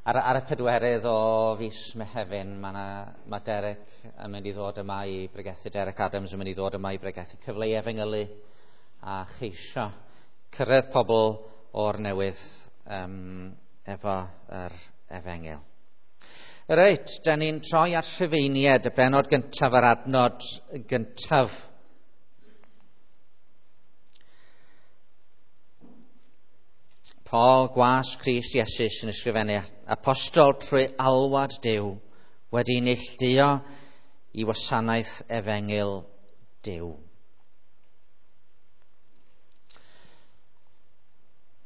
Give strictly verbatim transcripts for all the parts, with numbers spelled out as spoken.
Ar, ar y pedwerydd o fis Mehefin, mae, na, mae Derek yn mynd i ddod yma i bregethu, Derek Adams yn mynd i ddod yma i bregethu, cyfle i efengylu a cheisio cyrraedd pobl o'r newydd um, efo yr efengyl. Reit, da ni'n troi at Rhufeiniaid, y bennod gyntaf a'r adnod gyntaf. Paul, gwas Crist Iesu sy'n ysgrifennu, apostol trwy alwad Duw, wedi neilltuo i wasanaeth efengyl Duw.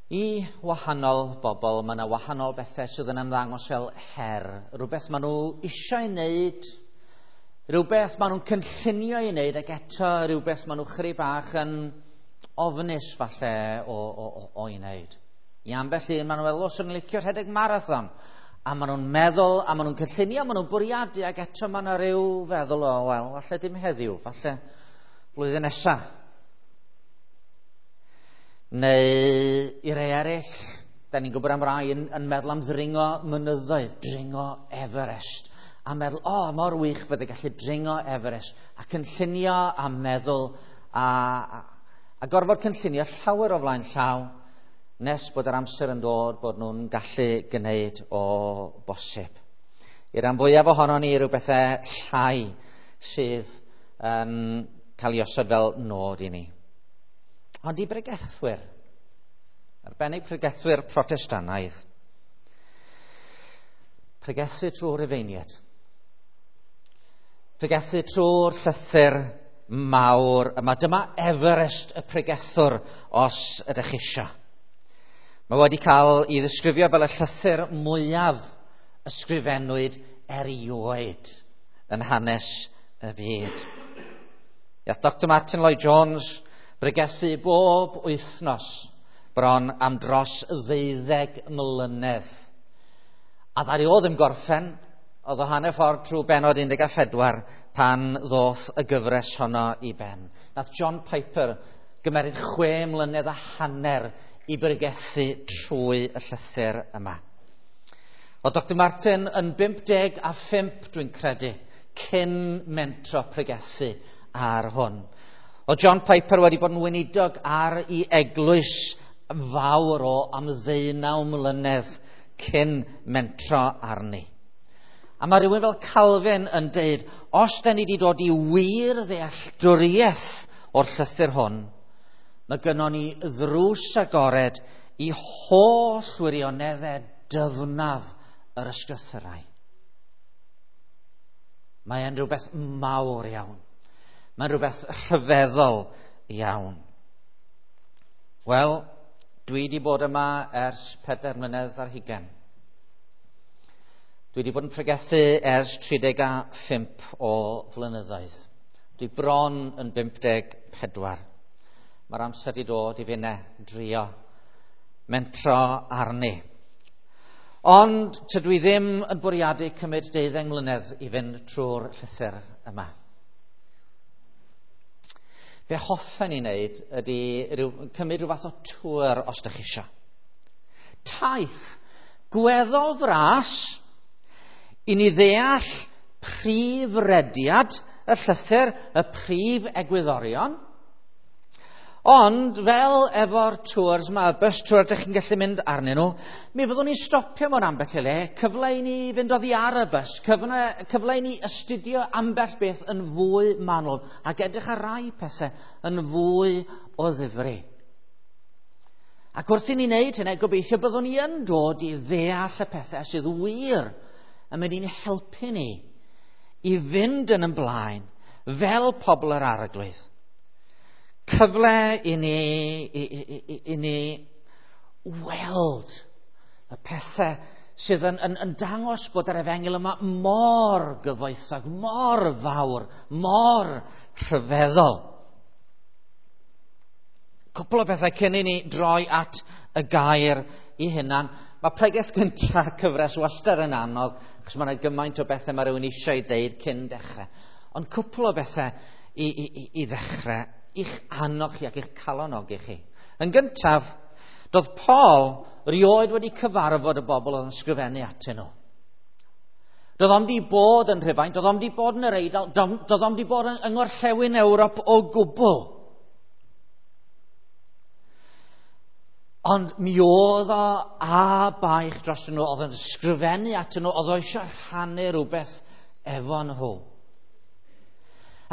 I wahanol bobl, mae yna wahanol bethau sydd yn ymddangos fel her. Rhywbeth maen nhw eisiau ei wneud, rhywbeth maen nhw'n cynllunio ei wneud, ac eto rhywbeth maen nhw chydig bach yn ofnus falle o, o, o, o'i wneud. I ambell un, maen nhw'n meddwl, o, swn i'n licio rhedeg marathon. A maen nhw'n meddwl, a maen nhw'n cynllunio, maen nhw'n bwriadu, ac eto maen nhw rhyw feddwl o, wel, falle dim heddiw, falle blwyddyn nesaf. Neu i rai eraill, da ni'n gwybod am rai yn, yn meddwl am ddringo mynyddoedd, dringo Everest. A meddwl, o, oh, mor wych fydde gallu dringo Everest. A cynllunio a meddwl, a, a, a gorfod cynllunio llawer o flaen llaw, nes bod yr amser yn dod bod nhw'n gallu gwneud o bosib. I ran fwyaf ohonon ni rhyw bethau llai sydd yn cael ei osod fel nod i ni. Ond i bregethwyr, arbennig pregethwyr Protestannaidd, pregethu trwy'r Rhufeiniaid, pregethu trwy'r llythyr mawr yma. Dyma Everest y pregethwr os ydych chi eisiau. Mae wedi cael ei ddisgrifio fel y llythyr mwyaf ysgrifennwyd erioed yn hanes y byd. Ia, Doctor Martin Lloyd-Jones bregethu bob wythnos bron am dros ddeuddeg mlynedd. A ddaru o ddim gorffen, oedd o hanner ffordd trwy bennod un deg pedwar pan ddoth y gyfres honno i ben. Nath John Piper gymeryd chwe mlynedd a hanner i bregethu trwy y llythyr yma. Oedd Doctor Martin yn bump deg a phump, dwi'n credu, cyn mentro pregethu ar hwn. Oedd John Piper wedi bod yn weinidog ar ei eglwys fawr o am ddeunaw mlynedd cyn mentro arni. A mae rhywun fel Calvin yn deud, os da ni wedi dod i wir ddealltwriaeth o'r llythyr hwn, mae gynnon ni ddrws agored i holl wirioneddau dyfnaf yr ysgrythurau. Mae e'n rhywbeth mawr iawn. Mae'n rhywbeth rhyfeddol iawn. Wel, dwi wedi bod yma ers pedair mlynedd ar hugain. Dwi wedi bod yn pregethu ers tri deg a phump o flynyddoedd. Dwi bron yn bump deg pedwar. Mae'r amser wedi dod i finne drio mentro arni. Ond tydw i ddim yn bwriadu cymryd deuddeng mlynedd i fynd trwy'r llythyr yma. Be hoffen i wneud ydy rhyw, cymryd rhyw fath o tŵr os ydych chi eisiau. Taith gweddol fras i ni ddeall prif rediad y llythyr, y prif egwyddorion. Ond fel efo'r tours yma, y bus tour ydych chi'n gallu mynd arnyn nhw, mi fyddwn ni'n stopio mewn ambell i le, cyfle i ni fynd oddi ar y bus, cyfle, cyfle i ni astudio ambell beth yn fwy manwl ac edrych ar rai pethau yn fwy o ddifri. Ac wrth i ni wneud hynny, gobeithio byddwn ni yn dod i ddeall y pethau sydd wir yn mynd i'n helpu ni i fynd yn ymlaen fel pobl yr Arglwydd. Cyfle i ni, i, i, i, i ni weld y pethau sydd yn, yn, yn dangos bod yr efengyl yma mor gyfoethog, mor fawr, mor rhyfeddol. Cwpl o bethau cyn i ni droi at y gair i hunan. Mae pregeth gyntaf cyfres wastad yn anodd, achos mae yna gymaint o bethau mae rhywun eisiau ei deud cyn dechrau. Ond cwpl o bethau i, i, i, i ddechrau, i'ch annog chi ac i'ch calonogi chi. Yn gyntaf, Doedd Paul rioed wedi cyfarfod y bobl oedd yn sgrifennu atyn nhw. Doedd o'm di bod yn Rhufain, doedd o'm di bod yn yr Eidal, doedd o'm di bod yng Ngorllewin Ewrop o gwbl. Ond mi oedd o a baich dros nhw, oedd yn sgrifennu atyn nhw, oedd o eisiau rhannu rhywbeth efo nhw.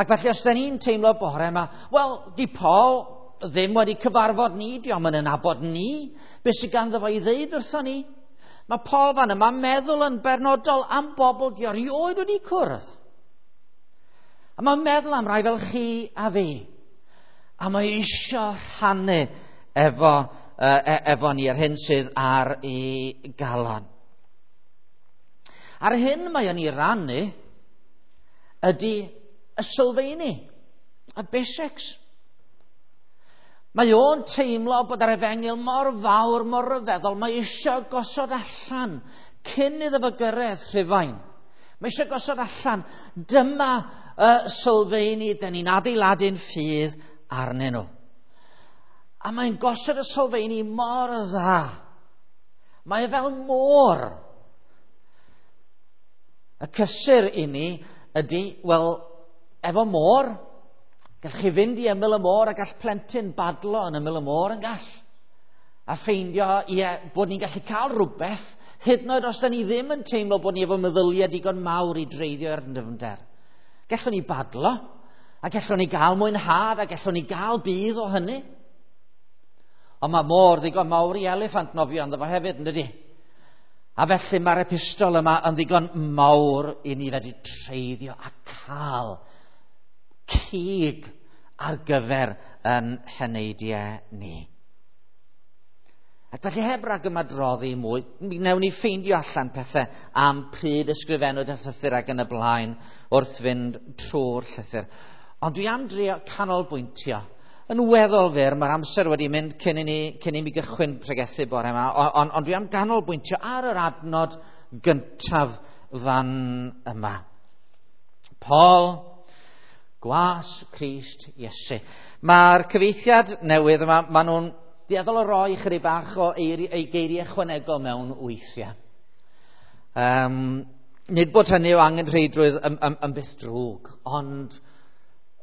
Ac felly os da ni'n teimlo bore yma, wel, di Paul ddim wedi cyfarfod ni, di o'm yn nabod ni, beth sydd ganddo fo i ddeud wrtho ni? Mae Paul fan yma meddwl yn bernodol am bobl di o rioed wedi cwrdd. A mae'n meddwl am rai fel chi a fi. A mae eisiau rhannu efo, e, efo ni yr hyn sydd ar ei galon. A'r hyn mae o'n ei rannu ydy y sylfaeni, y basics. Mae o'n teimlo bod yr efengyl mor fawr, mor ryfeddol, mae eisiau gosod allan cyn iddo fo gyrraedd Rhufain. Mae eisiau gosod allan, dyma y sylfaeni, dyn ni'n adeiladu'n ffydd arnyn nhw. A mae'n gosod y sylfaeni mor dda. Mae e fel môr. Y cysur i ni ydy, wel, efo môr, gall chi fynd i ymyl y môr a gall plentyn badlo yn ymyl y môr yn gall. A ffeindio, ie, bod ni'n gallu cael rhywbeth, hyd yn oed os da ni ddim yn teimlo bod ni efo meddyliau digon mawr i dreiddio i'r dyfnder. Gallwn ni badlo, a gallwn ni gael mwynhad, a gallwn ni gael budd o hynny. Ond mae môr ddigon mawr i eliffant nofio ynddo fo hefyd, yn dydi? A felly mae'r epistol yma yn ddigon mawr i ni fedru treiddio a cael cig ar gyfer yn heneidiau ni. Ac felly heb rag ymadroddi mwy, mi wnawn ni ffeindio allan pethau am pryd ysgrifennwyd y llythyr ac yn y blaen wrth fynd trwy'r llythyr. Ond dwi am drio canolbwyntio. Yn weddol fyr, mae'r amser wedi mynd cyn i ni, cyn i mi gychwyn pregethu bore yma, ond on, on dwi am ganolbwyntio ar yr adnod gyntaf fan yma. Paul, gwas Crist Iesu. Mae'r cyfieithiad newydd yma, maen nhw'n dueddol o roi chydig bach o eiri, ei geiriau ychwanegol mewn weithiau. Um, nid bod hynny o angenrheidrwydd yn, yn, yn byth drwg, ond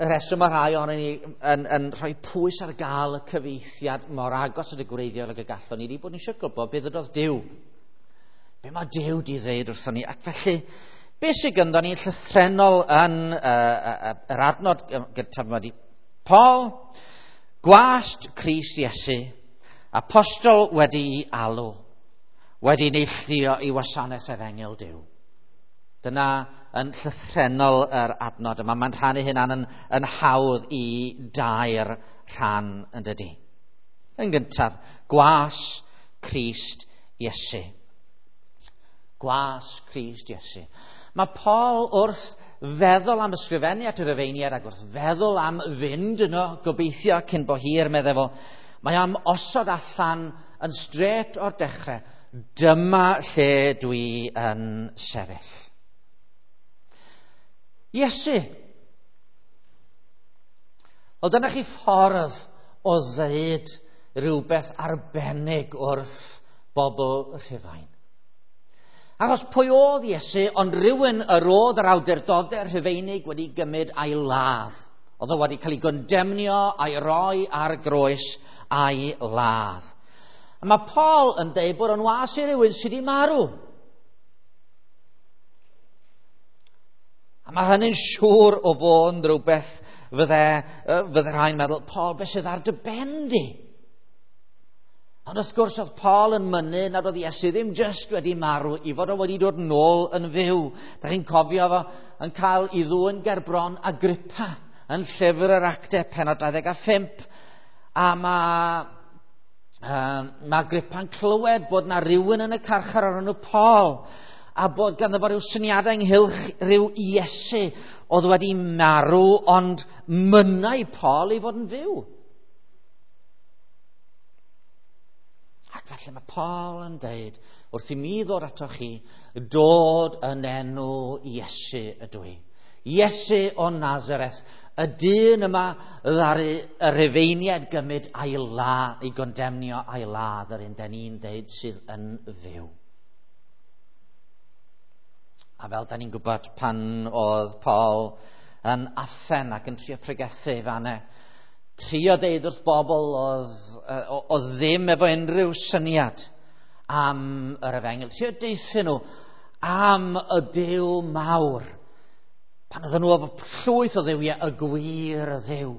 y rheswm mae rhai ohonon ni yn, yn rhoi pwys ar gael y cyfieithiad mor agos at y gwreiddiol ag y gallwn ni, di bod ni eisiau gwybod beth ydodd Duw. Be mae Duw di ddeud wrthon ni. Ac felly, beth sydd ganddo ni llythrennol yn uh, uh, yr adnod gyntaf yma di Paul, gwast Crist Iesu, apostol wedi'i alw, wedi neilltuo i wasanaeth efengyl Duw. Dyna yn llythrennol yr adnod yma. Mae'n rhannu hynna'n yn, yn hawdd i dair rhan yn dydi. Yn gyntaf, gwas Crist Iesu. Gwas Crist Iesu. Mae Paul wrth feddwl am ysgrifennu at y Rufeiniaid ac wrth feddwl am fynd yno, gobeithio cyn bo hir, meddai fo, mae am osod allan yn straight o'r dechrau, dyma lle dwi yn sefyll. Iesu. Wel, dyna chi ffordd o ddeud rhywbeth arbennig wrth bobl Rhufain. Achos pwy oedd Iesu, ond rhywun yr oedd yr awdurdodau Rhufeinig wedi gymryd a'i ladd. Oedd o wedi cael ei gondemnio a'i roi ar groes a'i ladd. A mae Paul yn deud bod o'n was i rhywun sydd wedi marw. A mae hynny'n siŵr o fod yn rhywbeth fydde, fydde rhai'n meddwl, Paul, beth sydd ar dy ben di? Ond wrth gwrs oedd Paul yn mynnu nad oedd Iesu ddim jyst wedi marw, i fod o wedi dod nôl yn fyw. Da chi'n cofio fo yn cael ei ddwyn gerbron Agrippa yn llyfr yr Actau pennod dau ddeg a phump. A mae, uh, mae Agrippa'n clywed bod na rhywun yn y carchar o'r enw Paul, a bod ganddo fo ryw syniadau ynghylch rhyw Iesu oedd wedi marw, ond mynnai Paul i fod yn fyw. Ac felly mae Paul yn deud, wrth i mi ddod ato chi, dod yn enw Iesu ydw i. Iesu o Nazareth, Y dyn yma ddaru y Rufeiniaid gymryd a'i la, i gondemnio a'i ladd yr un den ni'n deud sydd yn fyw. A fel da ni'n gwybod pan oedd Paul yn Athen ac yn trio pregethu fanne, trio deud wrth bobl oedd, oedd ddim efo unrhyw syniad am yr efengyl. Trio deuthyn nhw am y Duw mawr. Pan oedden nhw efo llwyth o dduwiau, y gwir y Dduw.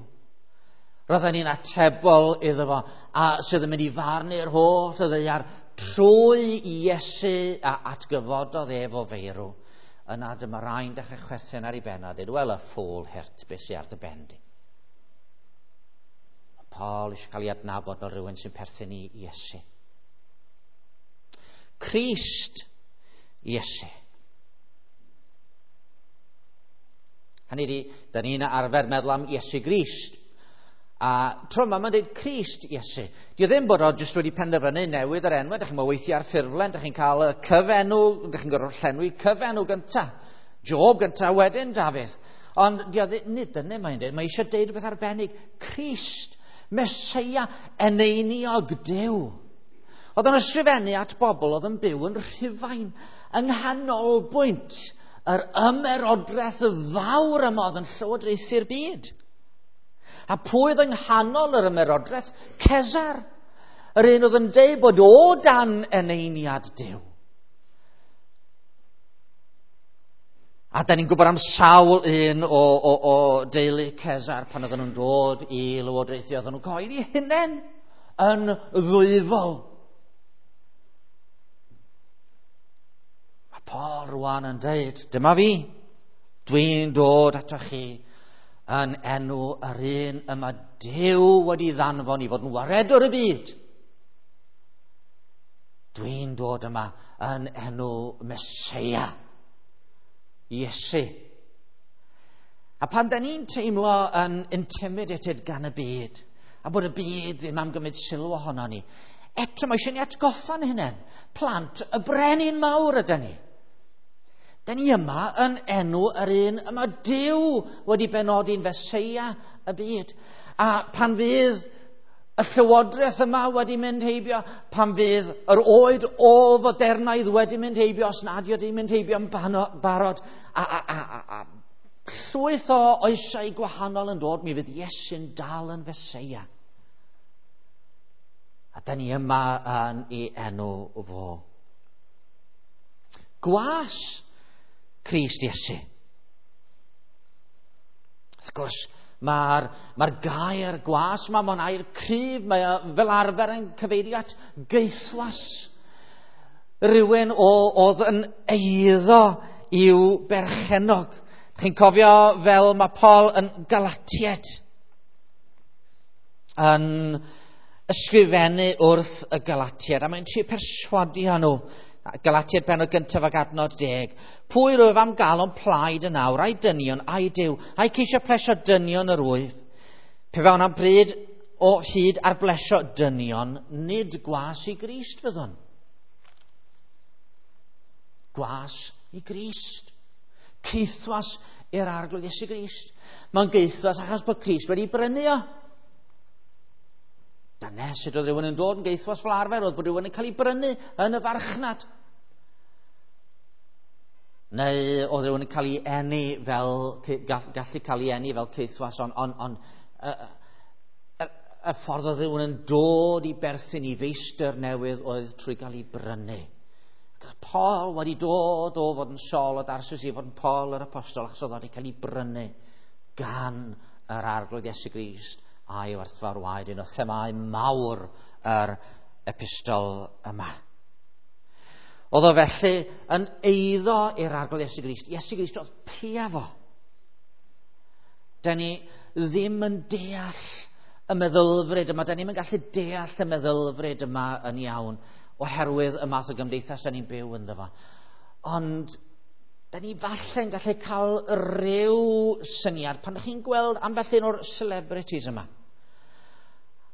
Roedden ni'n atebol iddo fo, a sydd yn mynd i farnu'r holl y ddaear trwy Iesu a atgyfododd ef o feirw. Yna dyma rai'n dechrau chwerthin ar ei ben a dweud, wel y ffôl hurt, beth sy'n ar dy ben di. Mae Paul eisiau cael ei adnabod fel rhywun sy'n perthyn i Iesu. Crist Iesu. Hynny ydi, da ni'n arfer meddwl am Iesu Grist. A tro yma mae'n dweud Crist Iesu. Dio ddim bod o jyst wedi penderfynu newid yr enw. Dych chi'n weithio ar ffurflen, dych chi'n cael y cyfenw, dych chi'n gorfod llenwi cyfenw gynta. Job gynta, wedyn Dafydd. Ond dio ddim, nid dyna mae'n dweud. Mae eisiau deud rhywbeth arbennig. Crist, Meseia, eneiniog Duw. Oedd o'n ysgrifennu at bobl oedd yn byw yn Rhufain, yng nghanolbwynt yr ymerodraeth fawr yma oedd yn llywodraethu'r byd. A pwy oedd yng nghanol yr ymerodraeth? Cesar. Yr un oedd yn deud bod o dan eneiniad Duw. A da ni'n gwybod am sawl un o, o, o deulu Cesar pan oedden nhw'n dod i lywodraethu, oedden nhw'n cyhoeddi hunain yn ddwyfol. Mae Paul rwan yn deud, dyma fi, dwi'n dod atoch chi yn enw yr un yma Duw wedi ddanfon i fod yn waredwr y byd. Dwi'n dod yma yn enw Meseia, Iesu. A pan da ni'n teimlo yn intimidated gan y byd, a bod y byd ddim am gymryd sylw ohono ni, eto mae eisiau ni atgoffa'n hunain. Plant y brenin mawr ydy ni. Da ni yma yn enw yr un yma Duw wedi benodi'n Feseia y byd. A pan fydd y llywodraeth yma wedi mynd heibio, pan fydd yr oed ôl-fodernaidd wedi mynd heibio, os nad yw wedi mynd heibio yn barod, a, a, a, a, a llwyth o oesau gwahanol yn dod, mi fydd Iesu'n dal yn Feseia. A da ni yma yn ei enw fo. Gwas Crist Iesu. Wrth gwrs, mae'r mae gair gwas yma, mae'n air cryf, mae o fel arfer yn cyfeirio at gaethwas. Rhywun o, oedd yn eiddo i'w berchennog. Chi'n cofio fel mae Paul yn Galatiaid yn ysgrifennu wrth y Galatiaid, a mae'n trio perswadio nhw. Galatiaid pennod gyntaf ac adnod deg. Pwy rwyf am gael o'n plaid yn awr, a'i dynion, a'i Duw, a'i ceisio plesio dynion yr wyf. Pe bawn am bryd o hyd ar blesio dynion, nid gwas i Grist fyddwn. Gwas i Grist. Caethwas i'r Arglwydd Iesu Grist. Mae'n gaethwas achos bod Crist wedi brynu o. Dyna sut oedd rhywun yn dod yn gaethwas fel arfer, oedd bod rhywun yn cael ei brynu yn y farchnad. Neu oedd rhywun yn cael ei eni fel, gallu cael ei eni fel caethwas, ond on, on, y, y, y ffordd oedd rhywun yn dod i berthyn i feistr newydd oedd trwy gael ei brynu. Paul wedi dod o fod yn Saul o Darsus i fod yn Paul yr apostol, achos oedd wedi cael ei brynu gan yr Arglwydd Iesu Grist a'i werthfawr waed, un o themâu mawr yr epistol yma. Oedd o felly yn eiddo i'r Arglwydd Iesu Grist. Iesu Grist oedd pia fo. Da ni ddim yn deall y meddylfryd yma, da ni'm yn gallu deall y meddylfryd yma yn iawn, oherwydd y math o gymdeithas da ni'n byw ynddo fo. Ond da ni falle'n gallu cael rhyw syniad pan ydych chi'n gweld ambell un o'r celebrities yma.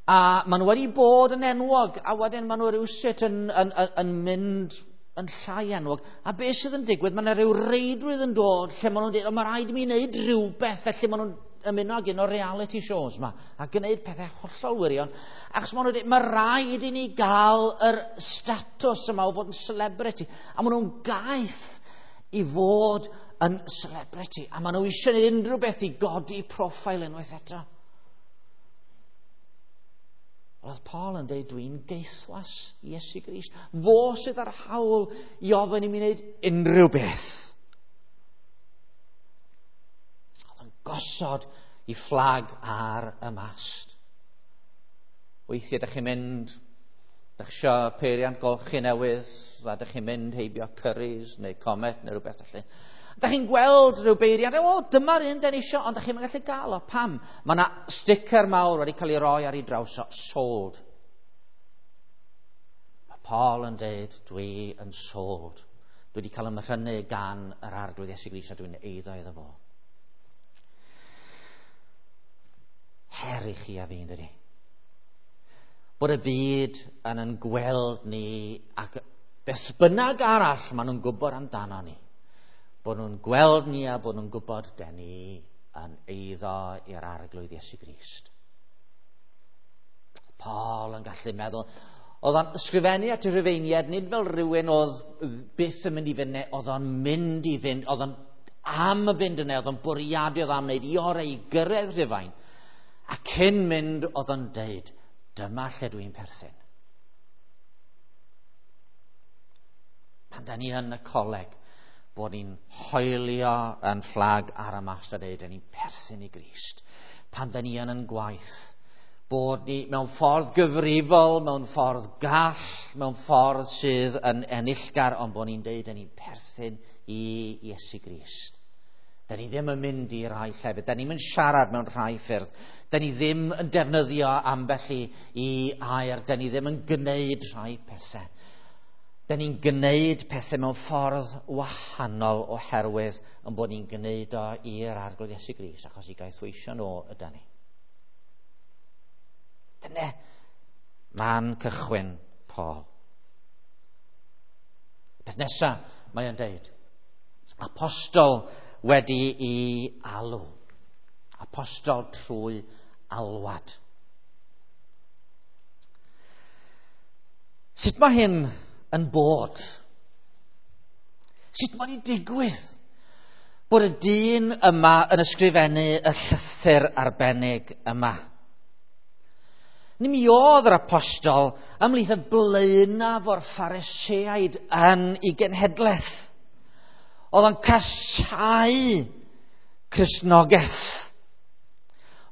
A maen nhw wedi bod yn enwog, a wedyn maen nhw rhywsut yn, yn, yn, yn mynd yn llai enwog. A beth sydd yn digwydd, mae yna rhyw reidrwydd yn dod lle maen nhw'n dweud, o, mae rhaid i mi wneud rhywbeth, felly maen nhw'n ymuno ag un o'r reality shows yma a gwneud pethau hollol wirion, achos maen nhw'n dweud, mae rhaid i ni gael yr statws yma o fod yn celebrity, a maen nhw'n gaeth i fod yn celebrity, a maen nhw eisiau gwneud unrhyw beth i godi profil unwaith eto. Oedd Paul yn dweud, dwi'n geithwas Iesu Grist. Fo sydd ar hawl i ofyn i mi wneud unrhyw beth. Oedd yn gosod i fflag ar y mast. Weithiau ydych chi'n mynd, ydych chi eisiau peiriant golchi newydd, a ydych chi'n mynd heibio Currys neu Comet neu rhywbeth felly. Ydych chi'n gweld rhyw beiriant, o, dyma'r un den eisiau, ond ydych chi'n gallu gael o. Pam? Mae yna sticker mawr wedi cael ei roi ar ei draws o, sold. Mae Paul yn dweud, dwi yn sold. Dwi wedi cael ymhrynu gan yr Arglwydd Iesu Grist a dwi'n eiddo iddo fo. Her i chi a fi, dydy. Bod y byd yn yn gweld ni ac beth bynnag arall maen nhw'n gwybod amdano ni. Bod nhw'n gweld ni a bod nhw'n gwybod den ni yn eiddo i'r Arglwydd Iesu Grist. Paul yn gallu meddwl, oedd o'n ysgrifennu at y Rhufeiniaid, nid fel rhywun oedd byth yn mynd i fynd, oedd o'n mynd i fynd, oedd o'n am fynd yna, oedd o'n bwriadu, oedd am wneud i orau i gyrraedd Rhufain. A cyn mynd oedd o'n deud, dyma lle dwi'n perthyn. Pan da ni yn y coleg, bod ni'n hoelio yn fflag ar y mast a deud, ni'n perthyn i Grist. Pan da ni yn yn gwaith, bod ni mewn ffordd gyfrifol, mewn ffordd gall, mewn ffordd sydd yn enillgar, ond bod ni'n deud, ni'n perthyn i Iesu Grist. Da ni ddim yn mynd i rai llefydd, da ni'n siarad mewn rhai ffyrdd, da ni ddim yn defnyddio ambell i, i air, da ni ddim yn gwneud rhai pethau. Da ni'n gwneud pethau mewn ffordd wahanol oherwydd yn bod ni'n gwneud o i'r Arglwydd Iesu Grist, achos i gaethweisio nhw yda ni. Dyna man cychwyn Paul. Peth nesaf mae o'n deud, apostol wedi i alw. Apostol trwy alwad. Sut mae hyn yn bod? Sut mae'n digwydd bod y dyn yma yn ysgrifennu y llythyr arbennig yma? Ni mi oedd yr apostol ymhlith y blaenaf o'r Phariseaid yn ei genhedlaeth. Oedd o'n casáu Cristnogaeth.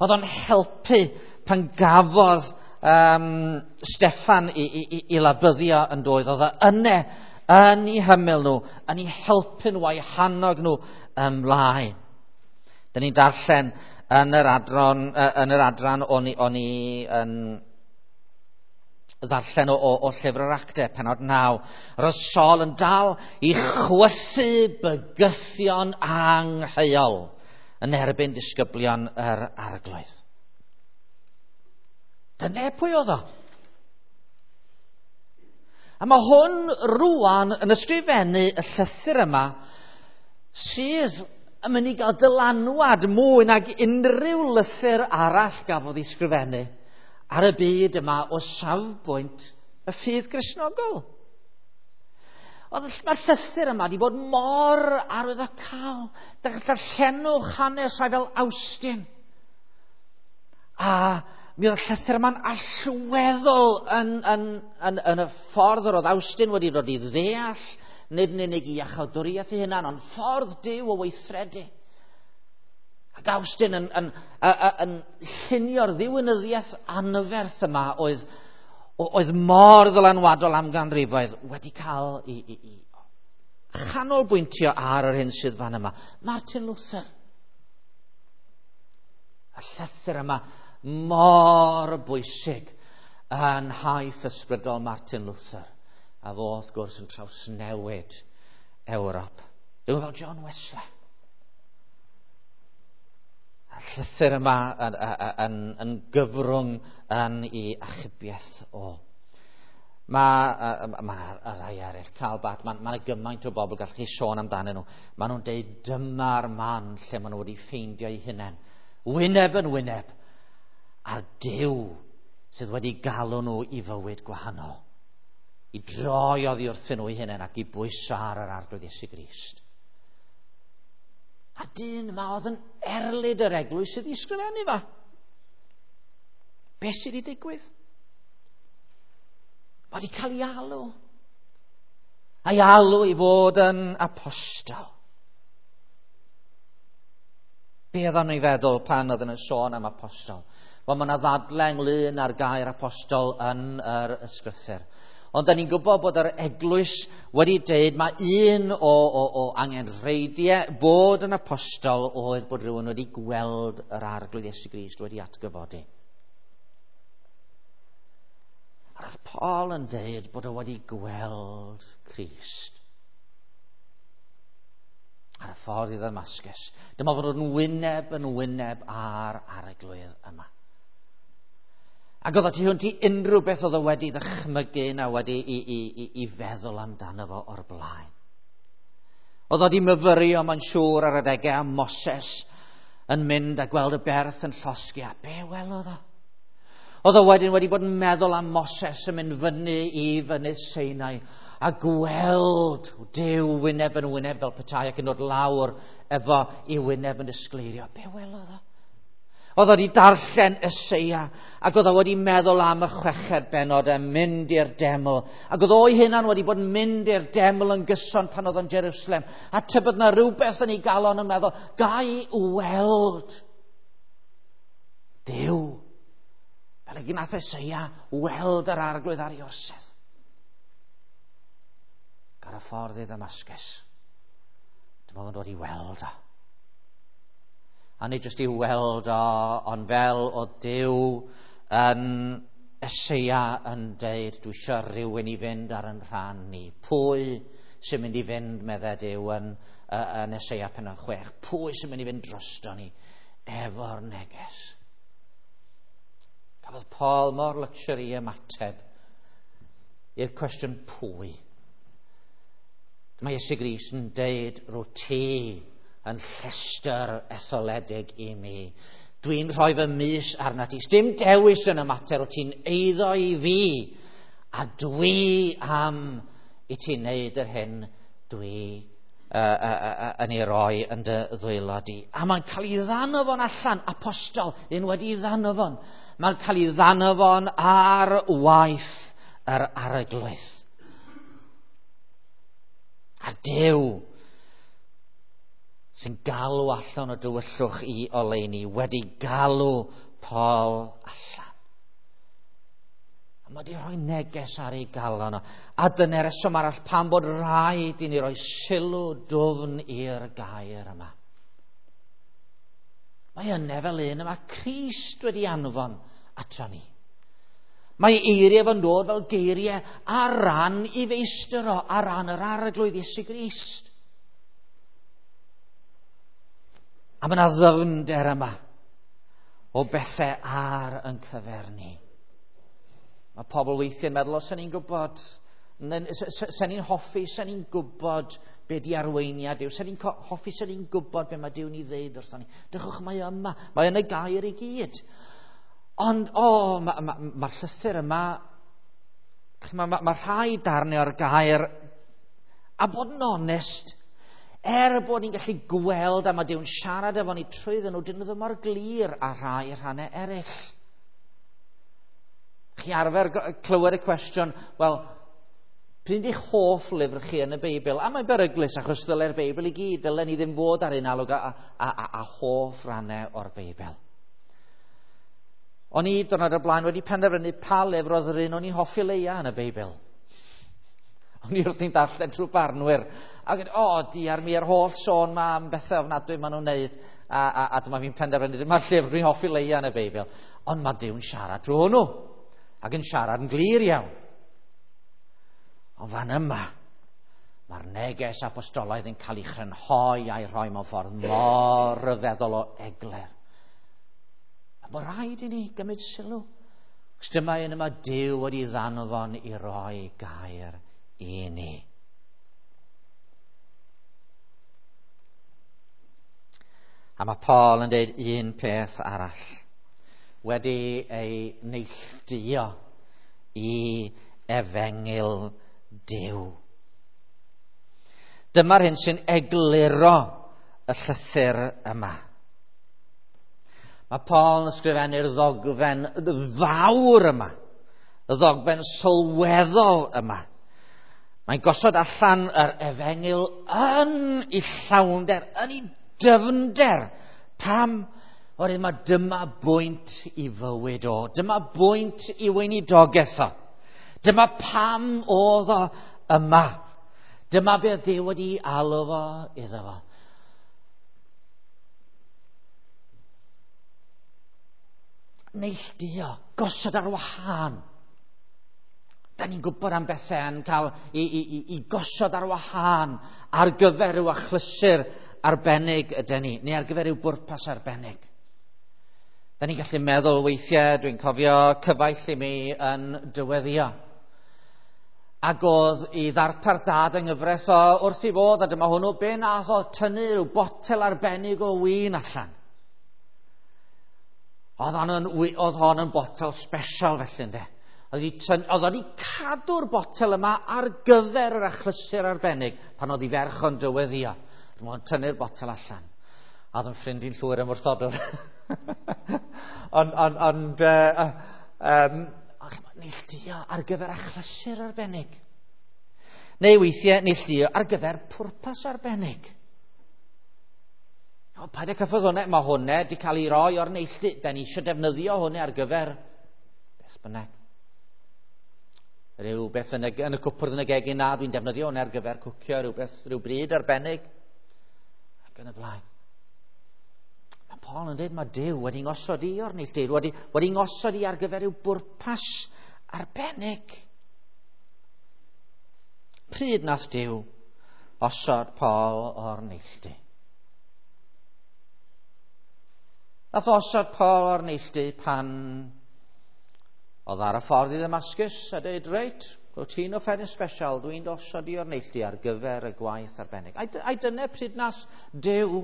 Oedd o'n helpu pan gafodd um, Steffan i, i, i labyddio yn doedd. Oedd o yne yn eu hymyl nhw, yn eu helpu nhw a'i hannog nhw ymlaen. Dyn ni'n darllen yn yr adran, yn yr adran o'n i, o'n i yn ddarllen o, o, o Llyfr yr Actau, pennod naw. Roedd Saul yn dal i chwysu bygythion angheuol yn erbyn disgyblion yr Arglwydd. Dyna pwy oedd o. A mae hwn rwan yn ysgrifennu y llythyr yma sydd yn mynd i gael dylanwad mwy nag unrhyw lythyr arall gafodd ei sgrifennu ar y byd yma o safbwynt y ffydd Gristnogol. Oedd mae'r llythyr yma wedi bod mor arwyddocaol. Darllenwch hanes rhai fel Awstin. A mi oedd y llythyr yma'n allweddol yn, yn, yn, yn y ffordd yr oedd Awstin wedi dod i ddeall, nid yn unig i iachawdwriaeth ei hunan, ond ffordd Duw o weithredu. Ac Awstin yn, yn, yn, yn llunio'r ddiwinyddiaeth anferth yma oedd, oedd mor ddylanwadol am ganrifoedd wedi cael i, i, i chanolbwyntio ar yr hyn sydd fan yma. Martin Luther. Y llythyr yma mor bwysig yn nhaith ysbrydol Martin Luther. A fo, wrth gwrs, yn trawsnewid Ewrop. Dwi'n fel John Wesley. A llythyr yma yn, yn, yn gyfrwng yn ei achubiaeth o. Mae ma, ma rai eraill, Karl Barth, mae ma gymaint o bobl gallwch chi sôn amdanyn nhw. Maen nhw'n deud dyma'r man lle maen nhw wedi ffeindio eu hunain Wyneb yn wyneb a'r Duw sydd wedi galw nhw i fywyd gwahanol. I droi oddi wrthyn nhw eu hunain ac i bwyso ar yr Arglwydd Iesu Grist. A dyn yma oedd yn erlid yr eglwys sydd i sgrifennu fa. Be sydd wedi digwydd? Mae wedi cael ei alw. A'i alw i fod yn apostol. Be oedd o'n ei feddwl pan oedd yn sôn am apostol? Wel, mae yna ddadle ynglyn â'r gair apostol yn yr ysgrythur. Ond da ni'n gwybod bod yr eglwys wedi deud mae un o, o, o angenrheidiau bod yn apostol oedd bod rhywun wedi gweld yr Arglwydd Iesu Grist wedi atgyfodi. A roedd Paul yn deud bod o wedi gweld Crist ar y ffordd i Ddamascus. Dyma fod o'n wyneb yn wyneb ar Arglwydd yma. Ac oedd o tu hwnt i unrhyw beth oedd o wedi ddychmygu na wedi i, i, i, i feddwl amdano fo o'r blaen. Oedd o wedi myfyrio, mae'n siŵr, ar adegau am Moses yn mynd a gweld y berth yn llosgi. A be welodd o? Oedd o wedyn wedi bod yn meddwl am Moses yn mynd fyny i fynydd Sinai a gweld Duw wyneb yn wyneb fel petai ac yn dod lawr efo i wyneb yn disgleirio. Be welodd o? Oedd o wedi darllen Eseia ac oedd o wedi meddwl am y chweched bennod yn mynd i'r deml. Ac oedd o'i hunan wedi bod yn mynd i'r deml yn gyson pan oedd o'n Jerusalem. A tybed na rhywbeth yn ei galon yn meddwl, gai weld Duw. Fel y gnath Eseia weld yr Arglwydd ar ei orsedd. Ar y ffordd i Ddamascus. Dyma fo'n dod i weld o. A nid jyst i weld o, ond fel o Duw yn Eseia yn deud, dwi eisiau rhywun i fynd ar yn rhan ni. Pwy sy'n mynd i fynd, meddai Duw, yn, yn Eseia pennod chwech? Pwy sy'n mynd i fynd drosto ni efo'r neges? Cafodd Paul mor luxury ymateb i'r cwestiwn pwy. Mae Iesu Grist yn deud, rwy ti yn llestr etholedig i mi. Dwi'n rhoi fy mys arna ti. Dim dewis yn y mater, o ti'n eiddo i fi, a dwi am i ti wneud yr hyn dwi uh, uh, uh, yn ei roi yn dy ddwylo di. A mae'n cael ei ddanfon allan, apostol, un wedi ei ddanfon. Mae'n cael ei ddanfon ar waith yr Arglwydd. A Duw sy'n galw allan o dywyllwch i oleuni wedi galw Paul allan. A mae wedi rhoi neges ar ei galon o. A dyna'r reswm arall pam bod rhaid i ni roi sylw dwfn i'r gair yma. Mae yna fel un yma Crist wedi anfon ato ni. Mae eiriau fo'n dod fel geiriau ar ran i feistr o, ar ran yr Arglwydd Iesu Grist. A mae yna ddyfnder yma o bethau ar yn cyfer ni. Mae pobl weithiau'n meddwl, o, sen ni'n gwybod, sen ni'n hoffi, sen ni'n gwybod be di arweiniad Duw, sen ni'n hoffi, sen ni'n gwybod be mae Duw'n ei ddeud wrthon ni. Drychwch, mae yma, mae yn y gair i gyd. Ond, o, oh, mae'r ma, ma, ma llythyr yma, mae ma, ma rhai darnau o'r gair, a bod yn onest, er bod ni'n gallu gweld a mae Duw'n siarad efo ni trwyddyn nhw, dyn nhw ddim mor glir a rhai rhannau eraill. Chi arfer clywed y cwestiwn, wel, pryd ydych hoff lyfr chi yn y Beibl? A mae'n beryglus achos ddyle'r Beibl i gyd, dylen ni ddim fod ar un alwg a, a, a, a hoff rhannau o'r Beibl. O'n i diwrnod o'r blaen wedi penderfynu pa lyfr oedd yr un o'n i'n hoffi leia yn y Beibl. O'n i wrthi'n darllen trwy barnwyr. Ac o, oh, diar mi yr holl sôn ma am bethau ofnadwy maen nhw'n neud. A, a, a dyma fi'n penderfynu, dyma'r llyfr dwi'n hoffi leia yn y Beibl. Ond mae Duw'n siarad drwy hwnnw. Ac yn siarad yn glir iawn. Ond fan yma, mae'r neges apostolaidd yn cael ei chrynhoi a'i rhoi mewn ffordd mor ryfeddol o eglur. A mae rhaid i ni gymryd sylw. Cos dyma un yma Duw wedi ddanfon i roi gair i ni. A mae Paul yn dweud un peth arall. Wedi ei neilltuo i efengyl Duw. Dyma'r hyn sy'n egluro y llythyr yma. Mae Paul yn ysgrifennu'r ddogfen fawr yma, y ddogfen sylweddol yma. Mae'n gosod allan yr efengyl yn ei llawnder, yn ei dyfnder. Pam? Oherwydd mae dyma bwynt i fywyd o, dyma bwynt i weinidogaeth o. Dyma pam oedd o yma. Dyma beth Duw wedi alw fo iddo fo. Neilltuo, gosod ar wahân. Da ni'n gwybod am bethau yn cael i, i, i, i gosod ar wahân ar gyfer rhyw achlysur arbennig ydyn ni, neu ar gyfer rhyw bwrpas arbennig. Da ni'n gallu meddwl weithiau, dwi'n cofio cyfaill i mi yn dyweddio. Ac oedd i ddarpar dad yng nghyfraith o wrth i fod, a dyma hwnnw be nath o tynnu rhyw botel arbennig o win allan. Oedd hon yn, oedd hon yn botel special felly, ynde. Oedd o'n i cadw'r botel yma ar gyfer yr achlysur arbennig pan oedd i ferch o'n dyweddio. Dyma o'n tynnu'r botel allan. A oedd yn ffrind i'n llwyr ymwrthodwr. Ond, ond, ond, uh, um, neilltuo ar gyfer achlysur arbennig. Neu weithiau neilltuo ar gyfer pwrpas arbennig. O, paid â cyffwrdd hwnna, mae hwnna wedi cael ei roi o'r neilltu. Da ni eisiau defnyddio hwnna ar gyfer beth bynnag. Rhyw beth yn y, yn y cwpwrdd yn y gegin, na, dwi'n defnyddio hwnna ar gyfer cwcio, rhyw beth, rhyw bryd arbennig. Ac yn y blaen. Mae Paul yn dweud mae Duw wedi ngosod i o'r neilltu, wedi, wedi ngosod i ar gyfer rhyw bwrpas arbennig. Pryd nath Duw osod Paul o'r neilltu? Nath osod Paul o'r neilltu pan oedd ar y ffordd i Ddamascus a dweud, reit, wyt ti'n offeryn special, dwi'n osod i o'r neilltu ar gyfer y gwaith arbennig. Ai, ai dyna pryd nath Duw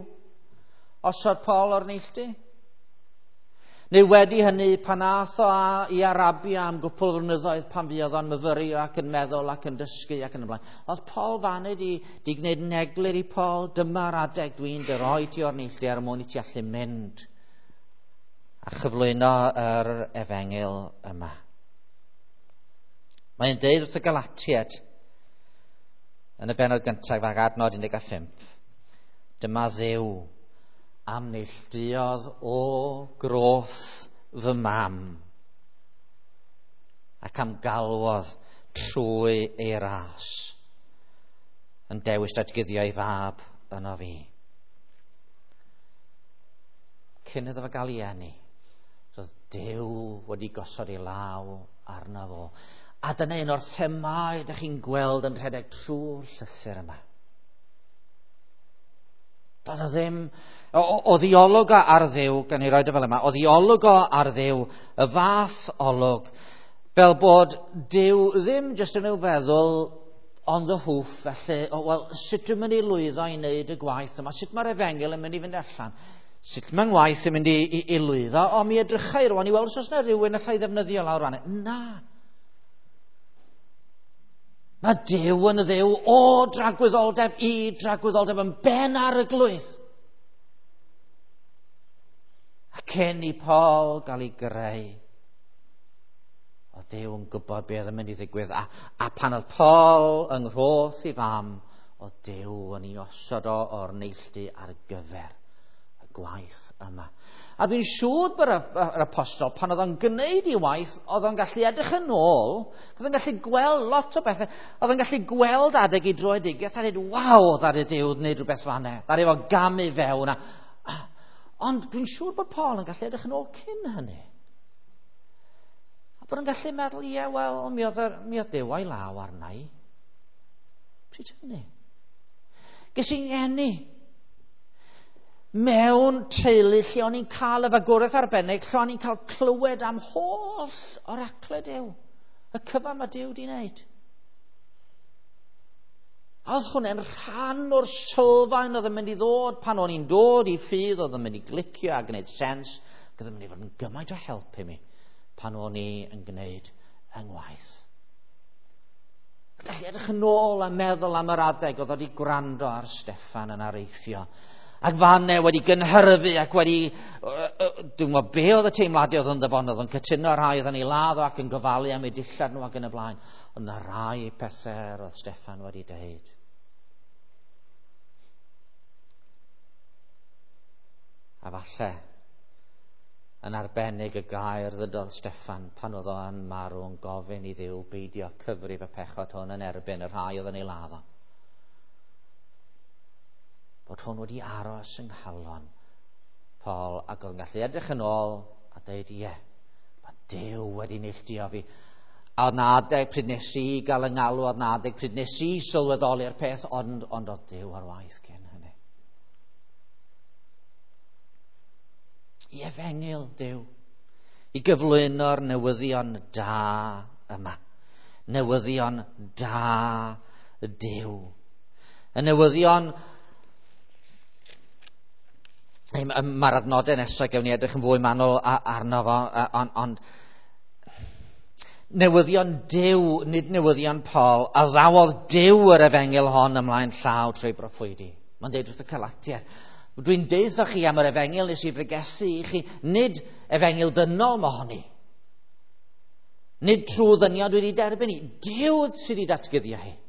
osod Paul o'r neilltu? Neu wedi hynny pan ath o i Arabia am gwpl o flynyddoedd pan fuodd o'n myfyrio ac yn meddwl ac yn dysgu ac yn y blaen. Oedd Paul faned i, di gwneud yn eglur i Paul, dyma'r adeg dwi'n dy roi ti o'r neilltu er mwyn i ti allu mynd a chyflwyno yr efengyl yma. Mae'n deud wrth y Galatiaid yn y bennod gyntaf ag adnod un deg pump, dyma Dduw am neilltuodd o groth fy mam ac am galwodd trwy ei ras yn dewis datguddio ei fab yno fi. Cyn iddo fo gael ei eni, roedd Duw wedi gosod ei law arno fo. A dyna un o'r themâu ydych chi'n gweld yn rhedeg trwy'r llythyr yma. Doedd o ddim, o ddiolwg o ar Dduw, gan i roed o fel yma, o ddiolwg o ar Dduw, y fath olwg, fel bod Duw ddim jyst yn ei feddwl on the hoof, felly, o, wel, sut dwi'n mynd i lwyddo i wneud y gwaith yma, sut mae'r efengyl yn mynd i fynd allan, sut mae'n ngwaith yn mynd i, i, i lwyddo, o, mi edrychai rwan i weld os oes yna rhywun allai ddefnyddio lawr fan. Na. Mae Duw yn Dduw o dragwyddoldeb i dragwyddoldeb yn ben ar y glwydd. A cyn i Paul gael ei greu, oedd Duw yn gwybod beth yn mynd i ddigwydd. A, a pan oedd Paul yng nghroth i fam, oedd Duw yn ei osod o o'r neilltu ar gyfer y gwaith yma. A dwi'n siŵr bod yr apostol, pan oedd o'n gwneud ei waith, oedd o'n gallu edrych yn ôl, oedd o'n gallu gweld lot o bethau, oedd o'n gallu gweld adeg i droedigaeth a dweud, waw, ddaru Duw wneud rhywbeth fan'na, ddaru fo gamu fewn. A, ond dwi'n siŵr bod Paul yn gallu edrych yn ôl cyn hynny. A bod o'n gallu meddwl, ie, wel, mi oedd, mi oedd Duw a'i law arna i. Pryd hynny? Ges i'n ngeni mewn teulu lle o'n i'n cael y fagwraeth arbennig, lle o'n i'n cael clywed am holl oracle Duw, y cyfan mae Duw di wneud. A oedd hwnna'n rhan o'r sylfaen oedd yn mynd i ddod pan o'n i'n dod i ffydd, oedd yn mynd i glicio a gwneud sens, ac oedd yn mynd i fod yn gymaint o help i mi pan o'n i yn gwneud yng ngwaith. Gallu edrych yn ôl a meddwl am yr adeg oedd wedi gwrando ar Steffan yn areithio. Ac fanne wedi gynhyrfu ac wedi... Dwi'n gwybod be oedd y teimladau oedd yn ddyfon, oedd yn cytuno rhai oedd yn ei ladd o ac yn gofalu am ei dillad nhw ac yn y blaen. Ond na rai pethau oedd Steffan wedi deud. A falle, yn arbennig y gair ddydodd Steffan pan oedd o'n marw yn gofyn i Dduw beidio cyfrif y pechod hwn yn erbyn y rhai oedd yn ei ladd o. Bod hwn wedi aros yng nghalon Paul ac oedd yn gallu edrych yn ôl a dweud, ie, mae Duw wedi neilltuo fi. A oedd na adeg pryd nes i gael yng ngalw, oedd na adeg pryd nes i sylweddoli'r peth, ond, ond oedd Duw ar waith cyn hynny. I efengyl Duw, i gyflwyno'r newyddion da yma. Newyddion da Duw. Y newyddion... Mae'r adnodau nesaf gewn ni edrych yn fwy manwl arno fo, ond, ond newyddion Duw, nid newyddion Paul, a ddawodd Duw yr efengyl hon ymlaen llaw trwy broffwydi. Mae'n deud wrth y Galatiaid, dwi'n deud chi am yr efengyl nes i bregethu i chi, nid efengyl dynol mohoni. Nid trwy ddynion dwi wedi derbyn i, Duw sydd wedi datguddio hi.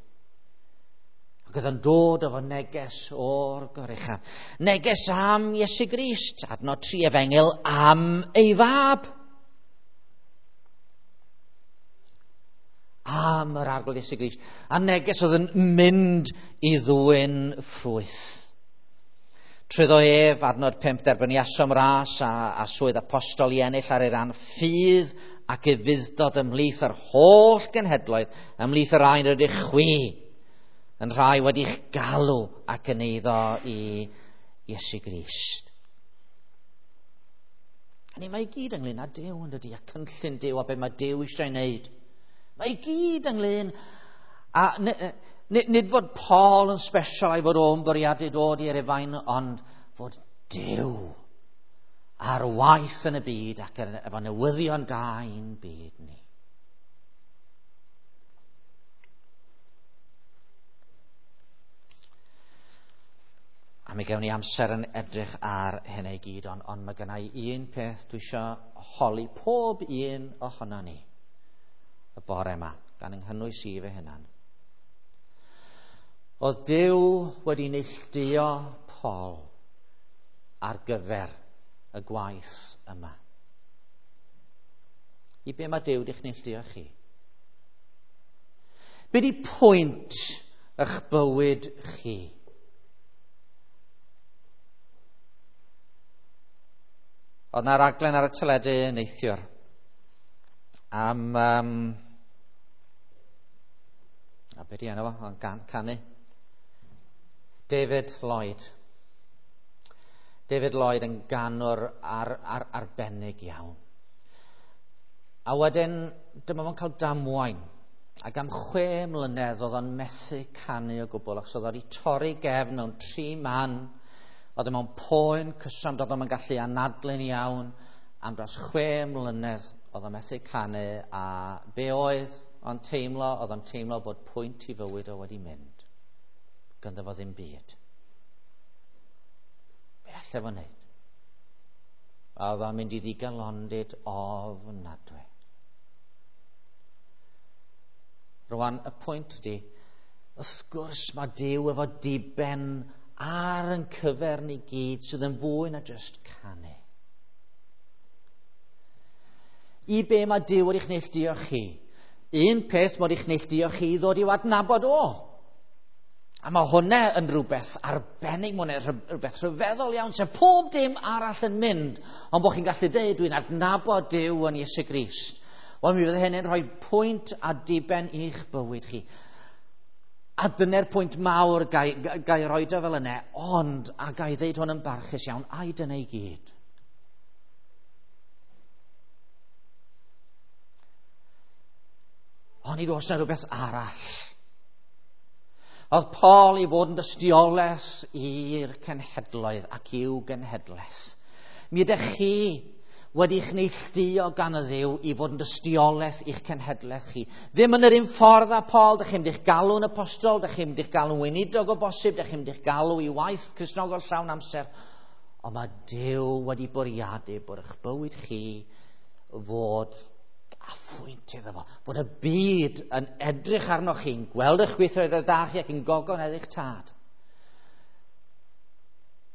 Ac oedd yn dod efo neges o'r goruchaf. Neges am Iesu Grist, adnod tri efengyl am ei fab. Am yr Arglwydd Iesu Grist. A neges oedd yn mynd i ddwyn ffrwyth. Trwyddo ef, adnod pump, derbyniasom ras a, a swydd apostol i ennill ar ei ran ffydd ac ufudd-dod ymhlith yr holl genhedloedd, ymhlith yr rhai rydych chwi, yn rhai wedi'ch galw ac yn eiddo i Iesu Grist. A ni, mae i gyd ynglyn â Duw yn dydi, a cynllun Duw a be mae Duw eisiau ei wneud. Mae i gyd ynglyn a nid, nid fod Paul yn special a'i fod o'n bwriadu dod i'r Rufain, ond fod Duw ar waith yn y byd ac efo newyddion da i'n byd ni. A mi gewn ni amser yn edrych ar hynny i gyd, ond, ond mae gennai un peth dwi eisiau holi pob un ohono ni y bore yma, gan yng nghynnwys i fy hunan. Oedd Duw wedi neilltuo Paul ar gyfer y gwaith yma. I be mae Duw wedi'ch neilltuo chi? Be di pwynt eich bywyd chi? Oedd na raglen ar y teledu neithiwr am... Um, a be di enw fo? O'n canu. David Lloyd. David Lloyd yn ganwr ar, ar, arbennig iawn. A wedyn, dyma fo'n cael damwain. Ac am chwe mlynedd oedd o'n methu canu o gwbl, achos oedd o wedi torri gefn mewn tri man. Oedd e mewn poen cyson, doedd o'm yn gallu anadlu'n iawn. Am dros chwe mlynedd oedd o'n methu canu, a be oedd o'n teimlo? Oedd o'n teimlo bod pwynt i fywyd o wedi mynd. Gynddo fo ddim byd. Be allai fo wneud? Oedd o'n mynd i ddigalondid ofnadwy. Rwan, y pwynt ydi, wrth gwrs mae Duw efo diben ar yn cyfer ni gyd sydd yn fwy na just canu. I be mae Duw wedi'ch neilltuo chi? Un peth mae wedi'ch neilltuo chi i ddod i'w adnabod o. A mae hwnna yn rhywbeth arbennig, mae hwnna'n rhywbeth rhyfeddol iawn, sef pob dim arall yn mynd, ond bod chi'n gallu dweud, dwi'n adnabod Duw yn Iesu Grist. Wel, mi fydd hynny'n rhoi pwynt a diben i'ch bywyd chi. A dyna'r pwynt mawr gai, gai roed o fel yna, ond, a gai ddeud hwn yn barchus iawn, ai dyna i gyd. Ond nid oes yna rhywbeth arall. Oedd Paul i fod yn dystiolaeth i'r cenhedloedd ac i'w genhedlaeth. Mi ydych chi wedi'ch neilltuo gan y Dduw i fod yn dystiolaeth i'ch cenhedlaeth chi. Ddim yn yr un ffordd â Paul, dych chi'n mynd i'ch galw'n apostol, dych chi'n mynd i'ch galw'n weinidog o bosib, dych chi'n mynd i'ch galw i waith Cristnogol llawn amser. Ond mae Duw wedi bwriadu bod eich bywyd chi fod a phwynt iddo fo. Bod y byd yn edrych arnoch chi'n gweld eich gweithredoedd da chi ac yn gogonedd eich tad.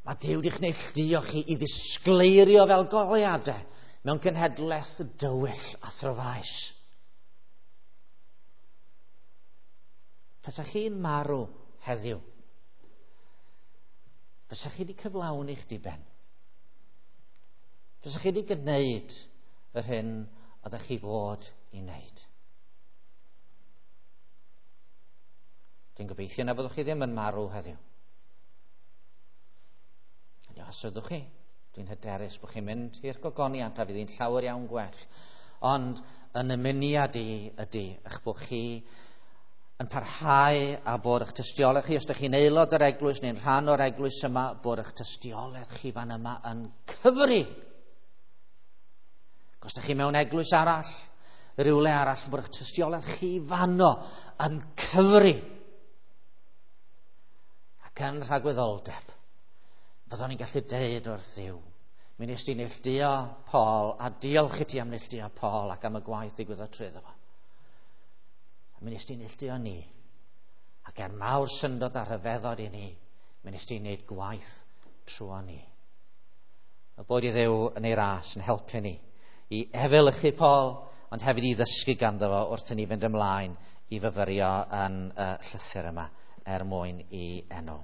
Mae Duw wedi'ch neilltuo chi i ddisgleirio fel goleuadau mewn cenhedlaeth dywyll a thryfaus. Tasach chi'n marw heddiw, fysach chi wedi cyflawni'ch diben. Fysach chi wedi gwneud yr hyn oeddech chi fod i wneud. Dwi'n gobeithio na fyddwch chi ddim yn marw heddiw. Os ydwch chi, dwi'n hyderus bod chi'n mynd i'r gogoniant a fydd hi'n llawer iawn gwell. Ond yn ymuniad i ydy eich bod chi yn parhau a bod eich tystiolaeth chi, os ydych chi'n aelod o'r eglwys neu'n rhan o'r eglwys yma, bod eich tystiolaeth chi fan yma yn cyfri. Os ydych chi mewn eglwys arall, rhywle arall, bod eich tystiolaeth chi fanno yn cyfri. Ac yn rhagwyddoldeb, fyddwn ni'n gallu deud wrth Dduw, mi nes di neilltuo Paul, a diolch i ti am neilltuo Paul ac am y gwaith ddigwyddodd trwyddo fo. A mi nes di neilltuo ni, ac er mawr syndod a rhyfeddod i ni, mi nes di wneud gwaith trwy ni. A bod i Dduw yn ei ras yn helpu ni i efelychu Paul, ond hefyd i ddysgu ganddo fo wrth i ni fynd ymlaen i fyfyrio yn y llythyr yma er mwyn i enw.